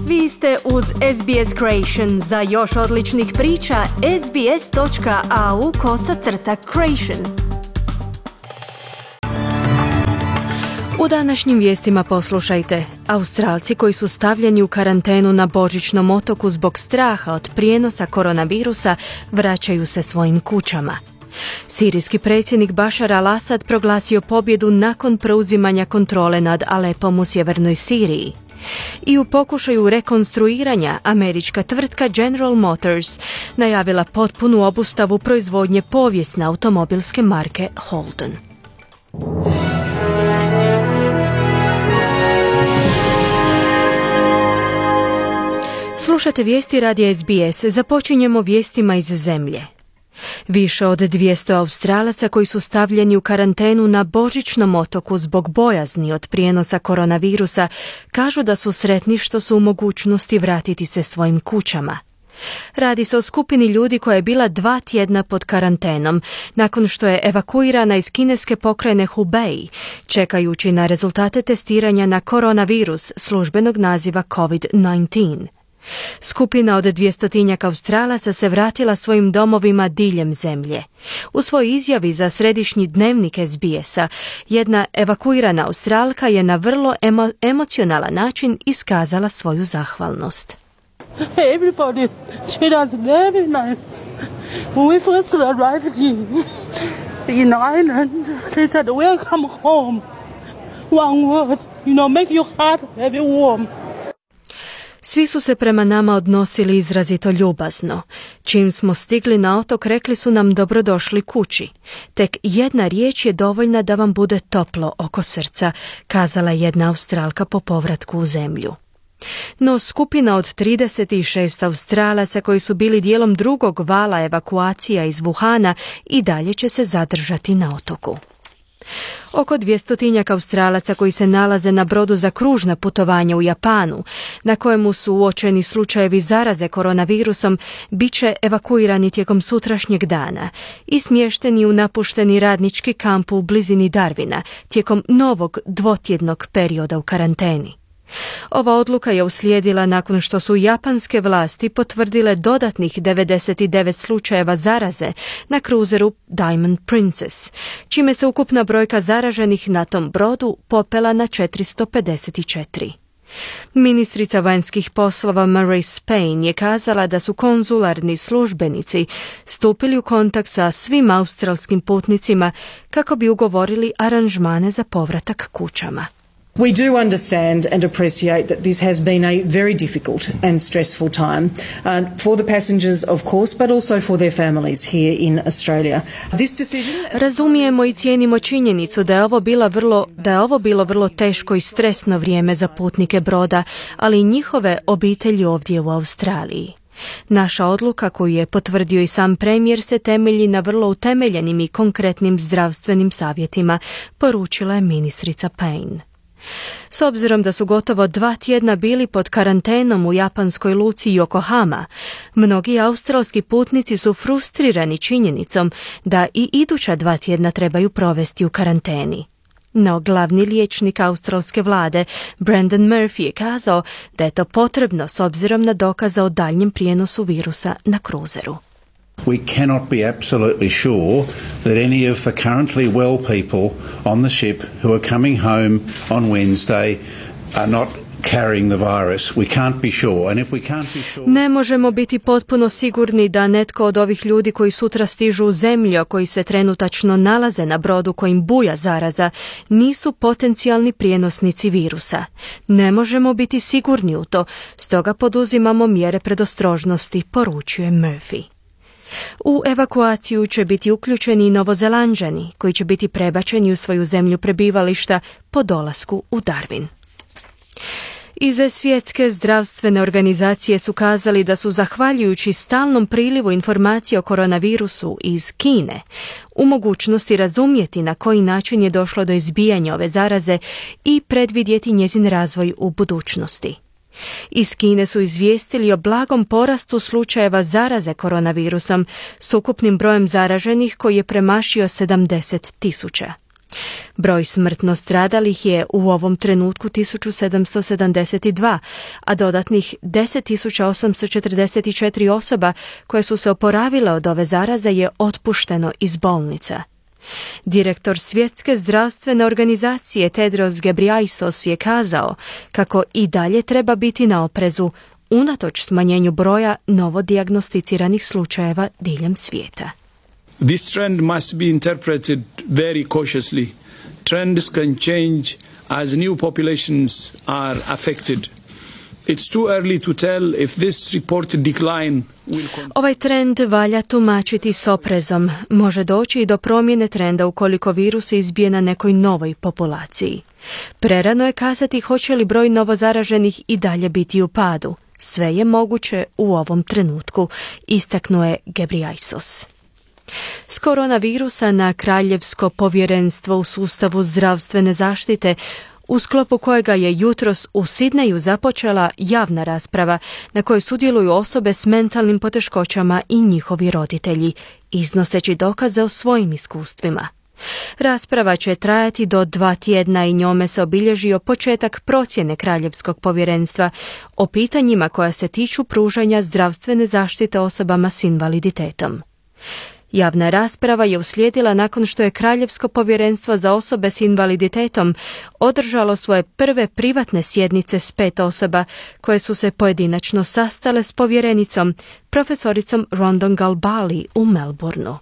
Vi ste uz SBS Creation. Za još odličnih priča, sbs.au/creation. U današnjim vijestima poslušajte. Australci koji su stavljeni u karantenu na Božićnom otoku zbog straha od prijenosa koronavirusa vraćaju se svojim kućama. Sirijski predsjednik Bashar al-Assad proglasio pobjedu nakon preuzimanja kontrole nad Alepom u sjevernoj Siriji. I u pokušaju rekonstruiranja američka tvrtka General Motors najavila potpunu obustavu proizvodnje povijesne automobilske marke Holden. Slušate vijesti radija SBS. Započinjemo vijestima iz zemlje. Više od 200 Australaca koji su stavljeni u karantenu na Božićnom otoku zbog bojazni od prijenosa koronavirusa kažu da su sretni što su u mogućnosti vratiti se svojim kućama. Radi se o skupini ljudi koja je bila 2 tjedna pod karantenom nakon što je evakuirana iz kineske pokrajine Hubei, čekajući na rezultate testiranja na koronavirus službenog naziva COVID-19. Skupina od 200 Australaca se vratila svojim domovima diljem zemlje. U svojoj izjavi za središnji dnevnik SBS-a, jedna evakuirana Australka je na vrlo emocionalan način iskazala svoju zahvalnost. Everybody treated us very nice. When we first arrived in Ireland, they said, welcome home. One word, make your heart very warm. Svi su se prema nama odnosili izrazito ljubazno. Čim smo stigli na otok, rekli su nam dobrodošli kući. Tek jedna riječ je dovoljna da vam bude toplo oko srca, kazala jedna Australka po povratku u zemlju. No skupina od 36 Australaca koji su bili dijelom drugog vala evakuacija iz Wuhana i dalje će se zadržati na otoku. Oko 200 Australaca koji se nalaze na brodu za kružna putovanja u Japanu, na kojemu su uočeni slučajevi zaraze koronavirusom, bit će evakuirani tijekom sutrašnjeg dana i smješteni u napušteni radnički kamp u blizini Darwina tijekom novog 2-tjednog perioda u karanteni. Ova odluka je uslijedila nakon što su japanske vlasti potvrdile dodatnih 99 slučajeva zaraze na kruzeru Diamond Princess, čime se ukupna brojka zaraženih na tom brodu popela na 454. Ministrica vanjskih poslova Marise Payne je kazala da su konzularni službenici stupili u kontakt sa svim australskim putnicima kako bi ugovorili aranžmane za povratak kućama. We do understand and appreciate that this has been a very difficult and stressful time for the passengers, of course, but also for their families here in Australia. This decision... Razumijemo i cijenimo činjenicu da je ovo bilo vrlo teško i stresno vrijeme za putnike broda, ali i njihove obitelji ovdje u Australiji. Naša odluka, koju je potvrdio i sam premijer, se temelji na vrlo utemeljenim i konkretnim zdravstvenim savjetima, poručila je ministrica Payne. S obzirom da su gotovo 2 tjedna bili pod karantenom u japanskoj luci Yokohama, mnogi australski putnici su frustrirani činjenicom da i iduća 2 tjedna trebaju provesti u karanteni. No glavni liječnik australske vlade, Brendan Murphy, je kazao da je to potrebno s obzirom na dokaze o daljnjem prijenosu virusa na kruzeru. We cannot be absolutely sure that any of the currently well people on the ship who are coming home on Wednesday are not carrying the virus. We can't be sure. And if we can't be sure... Ne možemo biti potpuno sigurni da netko od ovih ljudi koji sutra stižu u zemlju, a koji se trenutačno nalaze na brodu kojim buja zaraza, nisu potencijalni prijenosnici virusa. Ne možemo biti sigurni u to, stoga poduzimamo mjere predostrožnosti, poručuje Murphy. U evakuaciju će biti uključeni i Novozelanđani, koji će biti prebačeni u svoju zemlju prebivališta po dolasku u Darwin. Iz Svjetske zdravstvene organizacije su kazali da su, zahvaljujući stalnom prilivu informacija o koronavirusu iz Kine, u mogućnosti razumjeti na koji način je došlo do izbijanja ove zaraze i predvidjeti njezin razvoj u budućnosti. Iz Kine su izvijestili o blagom porastu slučajeva zaraze koronavirusom s ukupnim brojem zaraženih koji je premašio 70.000. Broj smrtno stradalih je u ovom trenutku 1772, a dodatnih 10.844 osoba koje su se oporavile od ove zaraze je otpušteno iz bolnica. Direktor Svjetske zdravstvene organizacije Tedros Ghebreyesus je kazao kako i dalje treba biti na oprezu unatoč smanjenju broja novodijagnosticiranih slučajeva diljem svijeta. This trend must be interpreted very cautiously. Trends can change as new populations are affected. It's too early to tell if this reported decline will continue. Ovaj trend valja tumačiti s oprezom. Može doći i do promjene trenda ukoliko virus izbije na nekoj novoj populaciji. Prerano je kazati hoće li broj novozaraženih i dalje biti u padu. Sve je moguće u ovom trenutku, istaknuo je Ghebreyesus. S koronavirusa na Kraljevsko povjerenstvo u sustavu zdravstvene zaštite, u sklopu kojega je jutros u Sidneju započela javna rasprava na kojoj sudjeluju osobe s mentalnim poteškoćama i njihovi roditelji, iznoseći dokaze o svojim iskustvima. Rasprava će trajati do 2 tjedna i njome se obilježio početak procjene Kraljevskog povjerenstva o pitanjima koja se tiču pružanja zdravstvene zaštite osobama s invaliditetom. Javna rasprava je uslijedila nakon što je Kraljevsko povjerenstvo za osobe s invaliditetom održalo svoje prve privatne sjednice s 5 osoba koje su se pojedinačno sastale s povjerenicom, profesoricom Rondon Galbali u Melbourneu.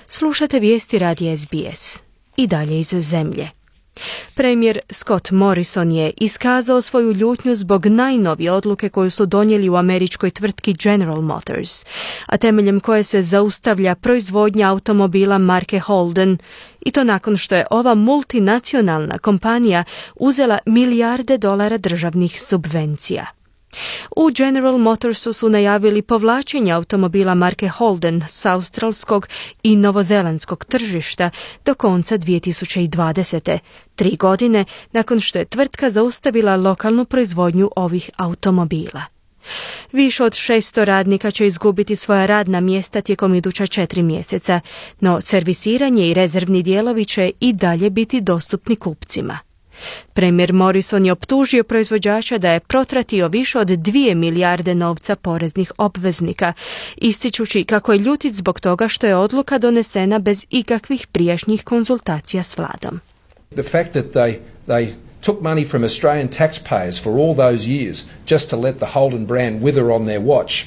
Slušate vijesti radija SBS. I dalje iz zemlje. Premijer Scott Morrison je iskazao svoju ljutnju zbog najnovije odluke koju su donijeli u američkoj tvrtki General Motors, a temeljem koje se zaustavlja proizvodnja automobila marke Holden, i to nakon što je ova multinacionalna kompanija uzela milijarde dolara državnih subvencija. U General Motorsu su najavili povlačenje automobila marke Holden s australskog i novozelandskog tržišta do konca 2020. 3 godine nakon što je tvrtka zaustavila lokalnu proizvodnju ovih automobila. Više od 600 radnika će izgubiti svoja radna mjesta tijekom iduća 4 mjeseca, no servisiranje i rezervni dijelovi će i dalje biti dostupni kupcima. Premijer Morrison je optužio proizvođača da je protratio više od 2 milijarde novca poreznih obveznika, ističući kako je ljutit zbog toga što je odluka donesena bez ikakvih prijašnjih konzultacija s vladom. The fact that they took money from Australian taxpayers for all those years just to let the Holden brand wither on their watch,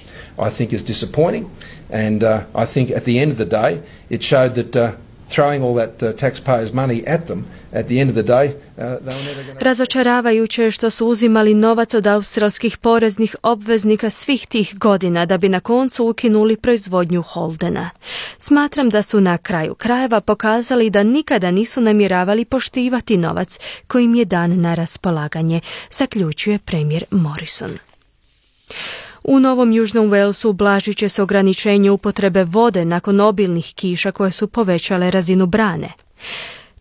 I think is disappointing, and I think at the end of the day it showed that throwing all that taxpayers' money at them, at the end of the day, they were never going to... Razočaravajuće je što su uzimali novac od australskih poreznih obveznika svih tih godina da bi na koncu ukinuli proizvodnju Holdena. Smatram da su na kraju krajeva pokazali da nikada nisu namjeravali poštivati novac koji im je dan na raspolaganje, zaključuje premijer Morrison. U Novom Južnom Walesu ublažit će se ograničenje upotrebe vode nakon obilnih kiša koje su povećale razinu brane.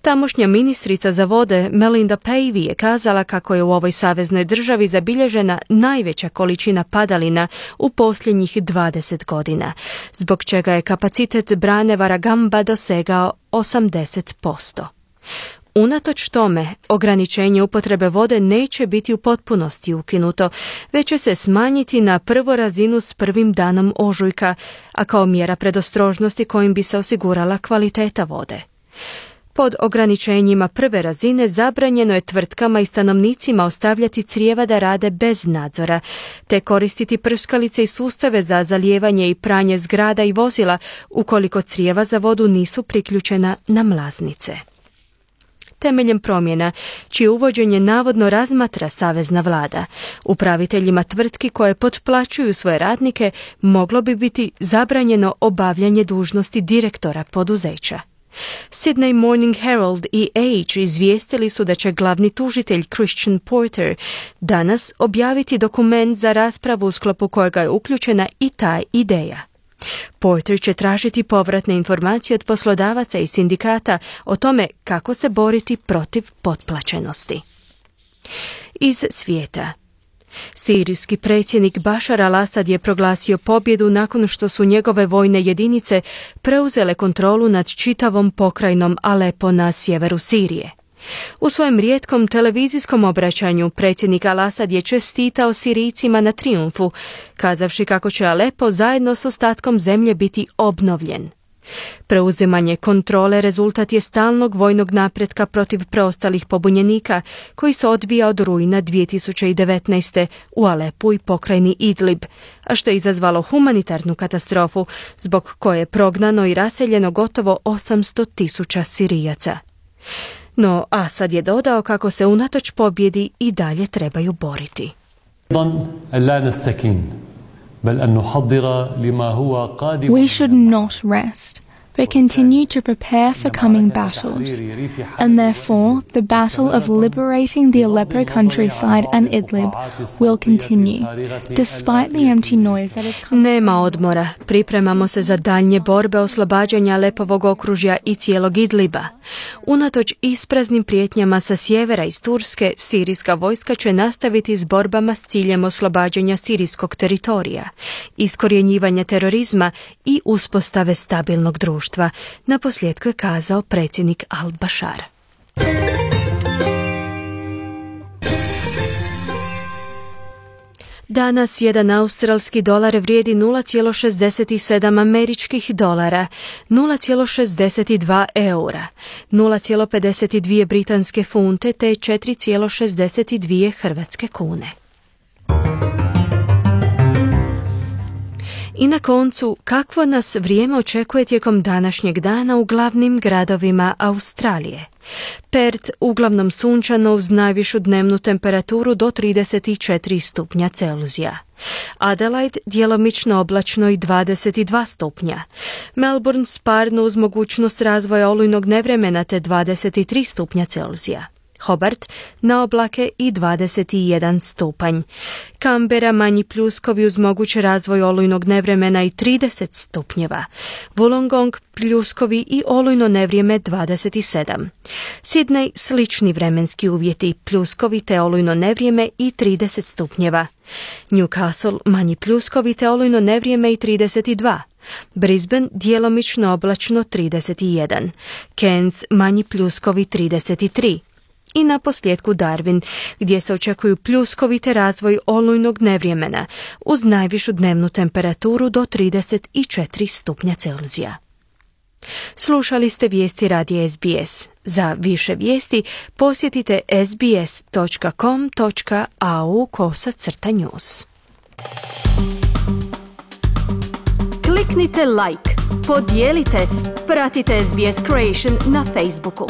Tamošnja ministrica za vode Melinda Pavey je kazala kako je u ovoj saveznoj državi zabilježena najveća količina padalina u posljednjih 20 godina, zbog čega je kapacitet brane Warragamba dosegao 80%. Unatoč tome, ograničenje upotrebe vode neće biti u potpunosti ukinuto, već će se smanjiti na prvu razinu s prvim danom ožujka, a kao mjera predostrožnosti kojim bi se osigurala kvaliteta vode. Pod ograničenjima prve razine zabranjeno je tvrtkama i stanovnicima ostavljati crijeva da rade bez nadzora, te koristiti prskalice i sustave za zalijevanje i pranje zgrada i vozila ukoliko crijeva za vodu nisu priključena na mlaznice. Temeljem promjena, čije uvođenje navodno razmatra savezna vlada, upraviteljima tvrtki koje potplaćuju svoje radnike moglo bi biti zabranjeno obavljanje dužnosti direktora poduzeća. Sydney Morning Herald i Age izvijestili su da će glavni tužitelj Christian Porter danas objaviti dokument za raspravu u sklopu kojega je uključena i ta ideja. Porter će tražiti povratne informacije od poslodavaca i sindikata o tome kako se boriti protiv potplaćenosti. Iz svijeta. Sirijski predsjednik Bašar al-Asad je proglasio pobjedu nakon što su njegove vojne jedinice preuzele kontrolu nad čitavom pokrajinom Alepo na sjeveru Sirije. U svojem rijetkom televizijskom obraćanju predsjednik al-Asad je čestitao Sirijcima na trijumfu, kazavši kako će Alepo zajedno s ostatkom zemlje biti obnovljen. Preuzimanje kontrole rezultat je stalnog vojnog napretka protiv preostalih pobunjenika koji se odvija od rujna 2019. u Alepu i pokrajini Idlib, a što je izazvalo humanitarnu katastrofu zbog koje je prognano i raseljeno gotovo 800.000 Sirijaca. No Asad je dodao kako se unatoč pobjedi i dalje trebaju boriti. We should not rest, but continue to prepare for coming battles, and therefore the battle of liberating the Aleppo countryside and Idlib will continue, despite the empty noise that is coming. Nema odmora, pripremamo se za daljnje borbe oslobađanja Alepovog okružja i cijelog Idliba. Unatoč ispraznim prijetnjama sa sjevera iz Turske, sirijska vojska će nastaviti s borbama s ciljem oslobađanja sirijskog teritorija, iskorjenjivanja terorizma i uspostave stabilnog društva, naposljetku je kazao predsjednik al-Bashar. Danas jedan australski dolar vrijedi 0,67 američkih dolara, 0,62 eura, 0,52 britanske funte te 4,62 hrvatske kune. I na koncu, kakvo nas vrijeme očekuje tijekom današnjeg dana u glavnim gradovima Australije? Perth uglavnom sunčano uz najvišu dnevnu temperaturu do 34 stupnja Celzija. Adelaide djelomično oblačno i 22 stupnja. Melbourne sparno uz mogućnost razvoja olujnog nevremena te 23 stupnja Celzija. Hobart na oblake i 21 stupanj. Canberra manji pljuskovi uz mogući razvoj olujnog nevremena i 30 stupnjeva. Wollongong pljuskovi i olujno nevrijeme 27. Sydney slični vremenski uvjeti, pljuskovi te olujno nevrijeme i 30 stupnjeva. Newcastle manji pljuskovi te olujno nevrijeme i 32. Brisbane djelomično oblačno 31. Cairns manji pljuskovi 33. I na posljedku Darwin, gdje se očekuju pljuskovi razvoj olujnog nevremena uz najvišu dnevnu temperaturu do 34 stupnja Celzija. Slušali ste vijesti radija SBS. Za više vijesti posjetite sbs.com.au/news. Kliknite like, podijelite, pratite SBS Creation na Facebooku.